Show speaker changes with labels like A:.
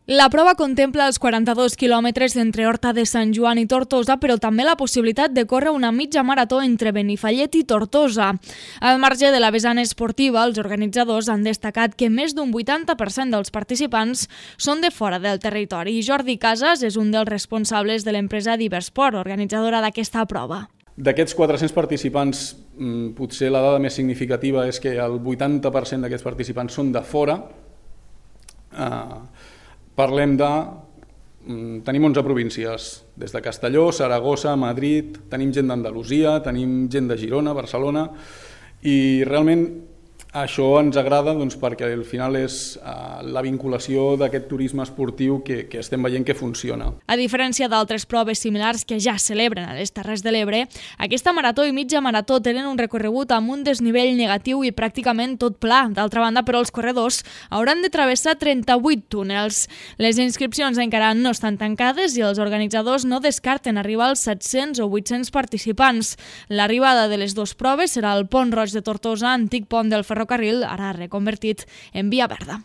A: La prova contempla els 42 quilòmetres entre Horta de Sant Joan i Tortosa, però també la possibilitat de córrer una mitja marató entre Benifallet i Tortosa. Al marge de la vessant esportiva, els organitzadors han destacat que més d'un 80% dels participants són de fora del territori. Jordi Casas és un dels responsables de l'empresa Diversport, organitzadora d'aquesta prova.
B: D'aquests 400 participants, potser la dada més significativa és que el 80% d'aquests participants són de fora. Tenim 11 províncies, des de Castelló, Saragossa, Madrid, tenim gent d'Andalusia, tenim gent de Girona, Barcelona, i realment això ens agrada perquè al final és la vinculació d'aquest turisme esportiu que estem veient que funciona.
A: A diferència d'altres proves similars que ja celebren a les Terres de l'Ebre, aquesta marató i mitja marató tenen un recorregut amb un desnivell negatiu i pràcticament tot pla. D'altra banda, però, els corredors hauran de travessar 38 túnels. Les inscripcions encara no estan tancades i els organitzadors no descarten arribar als 700 o 800 participants. L'arribada de les dues proves serà al Pont Roig de Tortosa, antic pont del ferrocarril, ara reconvertit en via verda.